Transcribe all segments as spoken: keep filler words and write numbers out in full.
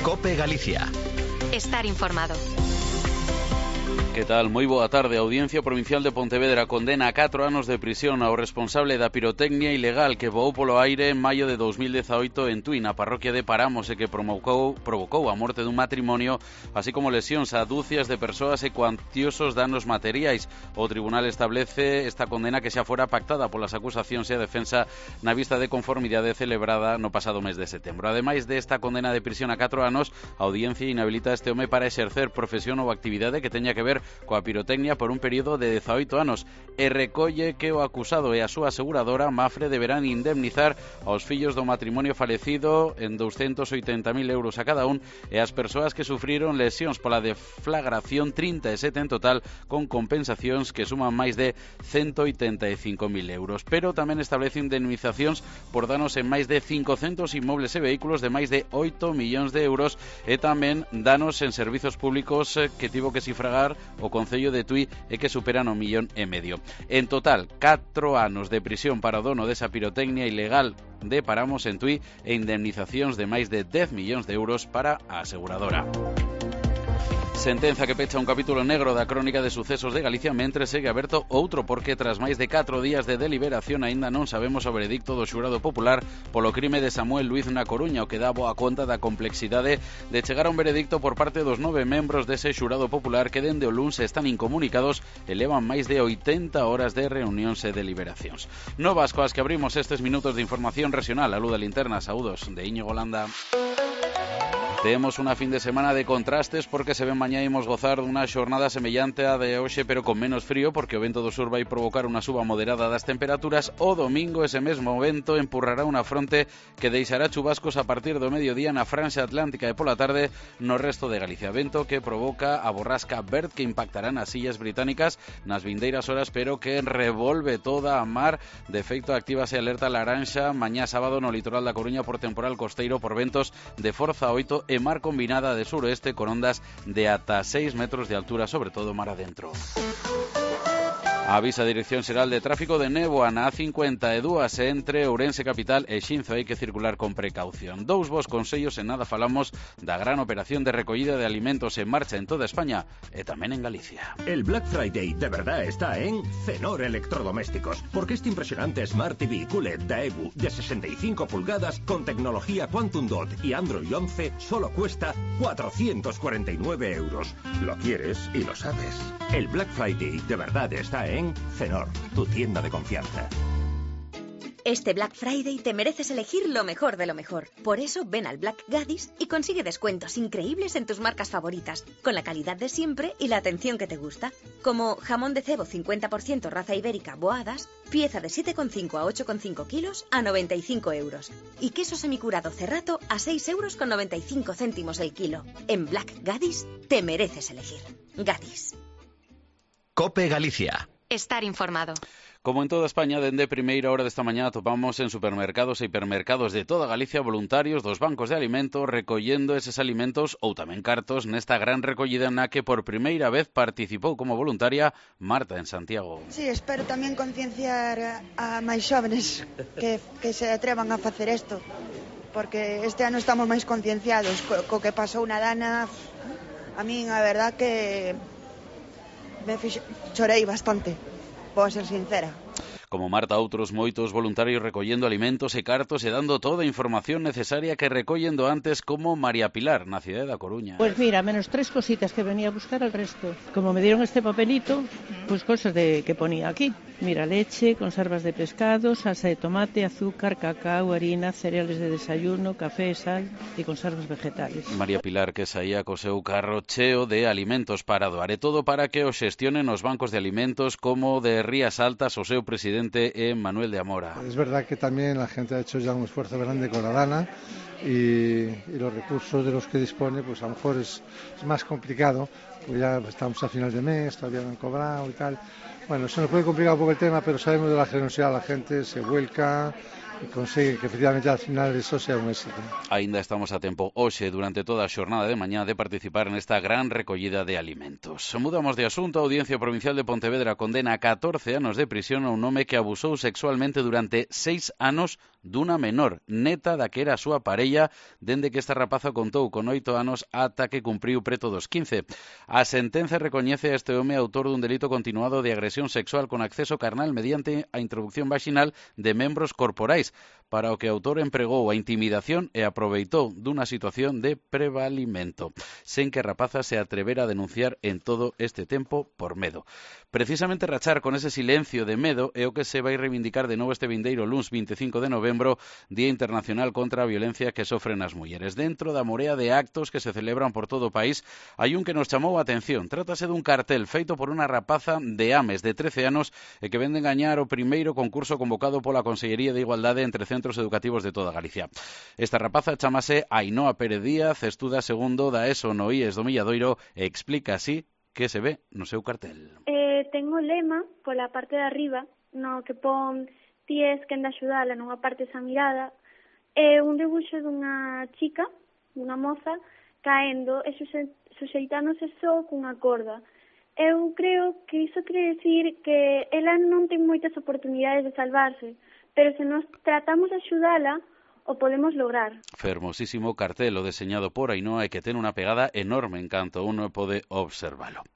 COPE Galicia. Estar informado. Que tal? Moi boa tarde. A Audiencia Provincial de Pontevedra condena a catro anos de prisión ao responsable da pirotecnia ilegal que voou polo aire en maio de dos mil dezaoito en Tui, na parroquia de Paramos, e que provocou, provocou a morte dun matrimonio, así como lesións a dúcias de persoas e cuantiosos danos materiais. O tribunal establece esta condena que xa fora pactada polas acusacións e a defensa na vista de conformidade celebrada no pasado mes de setembro. Ademais desta condena de prisión a catro anos, a Audiencia inhabilita a este home para exercer profesión ou actividade que teña que ver coa pirotecnia por un período de dezaoito anos e recolle que o acusado e a súa aseguradora Mafre deberán indemnizar aos fillos do matrimonio falecido en douscentos oitenta mil euros a cada un e as persoas que sufriron lesións pola deflagración trinta e sete en total, con compensacións que suman máis de ciento oitenta e cinco mil euros. Pero tamén establece indemnizacións por danos en máis de cincocentos inmobles e vehículos de máis de oito millóns de euros e tamén danos en servizos públicos que tivo que sufragar o Concello de Tui e que superan o millón e medio. En total, catro anos de prisión para o dono desa pirotecnia ilegal de Paramos en Tui e indemnizacións de máis de dez millóns de euros para a aseguradora. Sentenza que pecha un capítulo negro da crónica de sucesos de Galicia, mentre segue aberto outro porque tras máis de catro días de deliberación aínda non sabemos o veredicto do xurado popular polo crime de Samuel Luiz na Coruña, o que dá boa conta da complexidade de chegar a un veredicto por parte dos nove membros dese xurado popular que dende o luns están incomunicados e levan máis de oitenta horas de reunións e deliberacións. Novas coas que abrimos estes minutos de información regional. A luz da linterna, saúdos de Íñigo Landa. Temos unha fin de semana de contrastes porque se ven mañá imos gozar dunha xornada semellante á de hoxe, pero con menos frío, porque o vento do sur vai provocar unha suba moderada das temperaturas. O domingo ese mesmo vento empurrará unha fronte que deixará chubascos a partir do mediodía na franxa atlántica e pola tarde no resto de Galicia. Vento que provoca a borrasca Bert, que impactará nas illas británicas nas vindeiras horas, pero que revolve toda a mar. De feito, actívase alerta laranxa mañá sábado no litoral da Coruña por temporal costeiro por ventos de forza oito e mar combinada de suroeste con ondas de ata seis metros de altura, sobre todo mar adentro. Avisa a Dirección Xeral de Tráfico de néboa na A cincuenta e dúas entre Ourense capital e Xinzo. Hai que circular con precaución. Dous bos consellos, en nada falamos da gran operación de recollida de alimentos en marcha en toda España e tamén en Galicia. El Black Friday de verdad está en Cenor Electrodomésticos, porque este impresionante Smart T V Q L E D Daewoo de sesenta y cinco pulgadas con tecnología Quantum Dot y Android once solo cuesta cuatrocientos cuarenta y nueve euros. Lo quieres y lo sabes. El Black Friday de verdad está en Cenor, tu tienda de confianza. Este Black Friday te mereces elegir lo mejor de lo mejor. Por eso ven al Black Gadis y consigue descuentos increíbles en tus marcas favoritas, con la calidad de siempre y la atención que te gusta. Como jamón de cebo cincuenta por ciento raza ibérica Boadas, pieza de siete coma cinco a ocho coma cinco kilos a noventa y cinco euros. Y queso semicurado Cerrato a seis euros con noventa y cinco céntimos el kilo. En Black Gadis te mereces elegir. Gadis. COPE Galicia. Estar informado. Como en toda España, dende primeira hora desta mañá topamos en supermercados e hipermercados de toda Galicia voluntarios dos bancos de alimentos recollendo eses alimentos ou tamén cartos nesta gran recollida na que por primeira vez participou como voluntaria Marta en Santiago. Sí, espero tamén concienciar a máis xóvenes que, que se atrevan a facer isto, porque este ano estamos máis concienciados co, co que pasou na Dana. A min a verdad que me fixo, chorei bastante, vou ser sincera. Como Marta, outros moitos voluntarios recollendo alimentos e cartos e dando toda a información necesaria que recollendo antes, como María Pilar, na cidade da Coruña. Pues mira, menos tres cositas que venía a buscar al resto. Como me dieron este papelito, pues cosas de que ponía aquí. Mira, leche, conservas de pescado, salsa de tomate, azúcar, cacao, harina, cereales de desayuno, café, sal e conservas vegetales. María Pilar, que saía co seu carro cheo de alimentos para doar, e todo para que o xestionen os bancos de alimentos, como de Rías Altas o seu presidente eh, Manuel de Amora. Es verdad que también la gente ha hecho ya un esfuerzo grande con la Dana y, y los recursos de los que dispone, pues a lo mejor es, es más complicado, pues ya estamos a final de mes, todavía no han cobrado y tal. Bueno, se nos puede complicar un poco el tema, pero sabemos de la generosidad, la gente se vuelca e consigue que efectivamente al final eso sea un éxito. Ainda estamos a tempo hoxe durante toda a xornada de mañá de participar nesta gran recollida de alimentos. Mudamos de asunto. A Audiencia Provincial de Pontevedra condena a catorce anos de prisión a un home que abusou sexualmente durante seis anos dunha menor, neta da que era a súa parella, dende que esta rapaza contou con oito anos ata que cumpriu preto dos quince. A sentenza recoñece a este home autor dun delito continuado de agresión sexual con acceso carnal mediante a introducción vaginal de membros corporais, para o que o autor empregou a intimidación e aproveitou dunha situación de prevalimento, sen que a rapaza se atrevera a denunciar en todo este tempo por medo. Precisamente rachar con ese silencio de medo é o que se vai reivindicar de novo este vindeiro luns vinte e cinco de novembro, Día Internacional contra a Violencia que sofren as mulleres. Dentro da morea de actos que se celebran por todo o país, hai un que nos chamou a atención. Trátase dun cartel feito por unha rapaza de Ames de trece anos e que vende gañar o primeiro concurso convocado pola Consellería de Igualdade entre centros educativos de toda Galicia. Esta rapaza chamase Ainhoa Pérez Díaz, estuda segundo da ESO no I E S do Milladoiro e explica así que se ve no seu cartel. Eh, tengo o lema pola parte de arriba, no que pon ti es quen de axudala nunha parte esa mirada, é un debuxo dunha chica, dunha moza, caendo e suxeitándose só cunha corda. Eu creo que iso quere decir que ela non ten moitas oportunidades de salvarse, pero se nos tratamos de axudala, o podemos lograr. Fermosísimo cartel o deseñado por Ainhoa e que ten unha pegada enorme en canto uno pode observalo.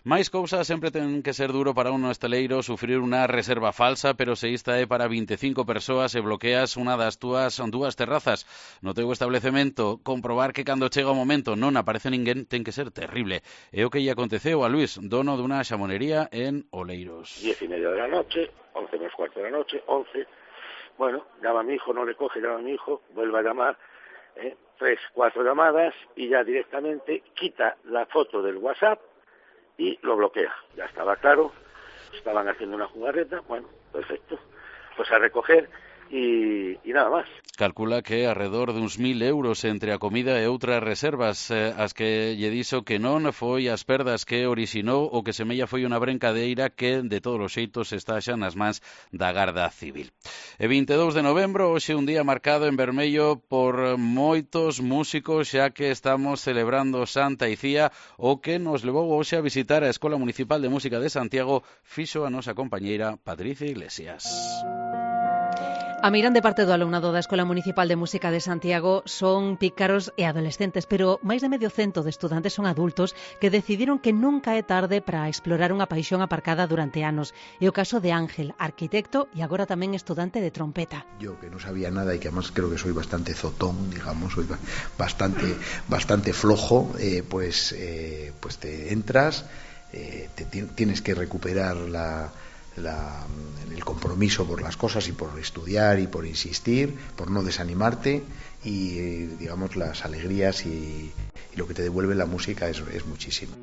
Máis cousas, sempre ten que ser duro para un hosteleiro sufrir unha reserva falsa, pero se esta é para vinte e cinco persoas e bloqueas unha das túas dúas terrazas no teu establecemento, comprobar que cando chega o momento non aparece ninguén ten que ser terrible. É o que lle aconteceu a Luis, dono dunha xamonería en Oleiros. Diez y media de la noche, once menos cuarto de la noche, once. Bueno, llama a mi hijo, no le coge, llama a mi hijo, vuelve a llamar, eh, tres, cuatro llamadas y ya directamente quita la foto del WhatsApp y lo bloquea. Ya estaba claro, estaban haciendo una jugarreta, bueno, perfecto, pues a recoger y, y nada más. Calcula que alrededor de uns mil euros entre a comida e outras reservas, eh, as que lle dixo que non foi as perdas que orixinou o que semella foi unha brincadeira que de todos os xeitos está xa nas mans da Garda Civil. E vinte e dous de novembro, hoxe un día marcado en vermello por moitos músicos, xa que estamos celebrando Santa Icía, o que nos levou hoxe a visitar a Escola Municipal de Música de Santiago, fixo a nosa compañeira Patricia Iglesias. A meirande parte do alumnado da Escola Municipal de Música de Santiago son pícaros e adolescentes, pero máis de medio cento de estudantes son adultos que decidiron que nunca é tarde para explorar unha paixón aparcada durante anos. É o caso de Ángel, arquitecto e agora tamén estudante de trompeta. Yo que no sabía nada y que además creo que soy bastante zotón, digamos, soy bastante, bastante flojo, eh, pues, eh, pues te entras, eh, te tienes que recuperar la... La, el compromiso por las cosas y por estudiar y por insistir, por no desanimarte y digamos las alegrías y, y lo que te devuelve la música es, es muchísimo.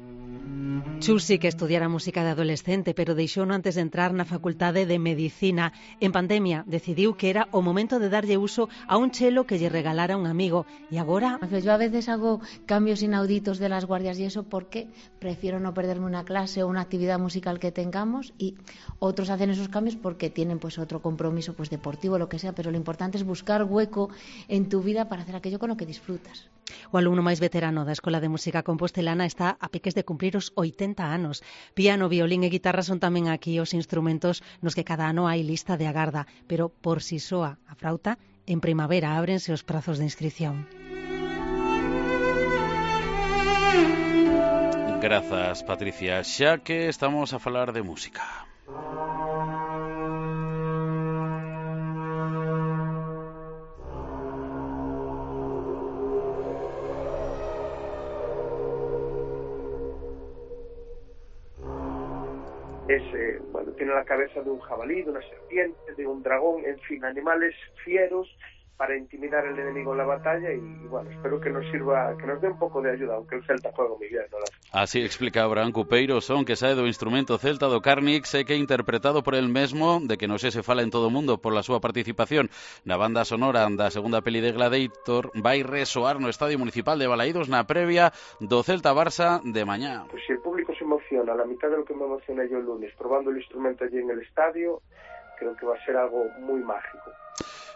Chus sí que estudiara música de adolescente, pero deixouno antes de entrar na facultade de Medicina. En pandemia decidiu que era o momento de darlle uso a un chelo que lle regalara un amigo. E agora... Yo a veces hago cambios inauditos de las guardias y eso porque prefiero no perderme una clase o una actividad musical que tengamos, y otros hacen esos cambios porque tienen pues otro compromiso pues deportivo, lo que sea, pero lo importante es buscar hueco en tu vida para hacer aquello con lo que disfrutas. O alumno máis veterano da Escola de Música Compostelana está a piques de cumprir os oitenta anos. Piano, violín e guitarra son tamén aquí os instrumentos nos que cada ano hai lista de agarda, pero por si soa a frauta, en primavera ábrense os prazos de inscripción. Grazas, Patricia. Xa que estamos a falar de música. Es, eh, bueno, tiene la cabeza de un jabalí, de una serpiente, de un dragón, en fin, animales fieros para intimidar al enemigo en la batalla y, bueno, espero que nos sirva, que nos dé un pouco de ayuda, aunque el celta juega muy bien, ¿no? Así explica Abraham Cupeiro, son que sae do instrumento celta do Carnix e que é interpretado por el mesmo, de que non se se fala en todo o mundo por la súa participación na banda sonora da segunda peli de Gladiator, vai resoar no Estadio Municipal de Balaídos na previa do Celta Barça de mañá. Pues si el público se emociona, a la mitad de lo que me emocioné yo el lunes, probando el instrumento allí en el estadio, creo que va a ser algo muy mágico.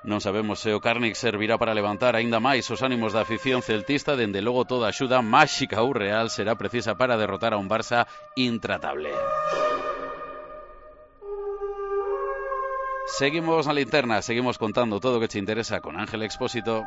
Non sabemos se o Carnix servirá para levantar aínda máis os ánimos da afición celtista, dende logo toda axuda máxica ou real será precisa para derrotar a un Barça intratable. Seguimos na linterna, seguimos contando todo o que te interesa con Ángel Expósito.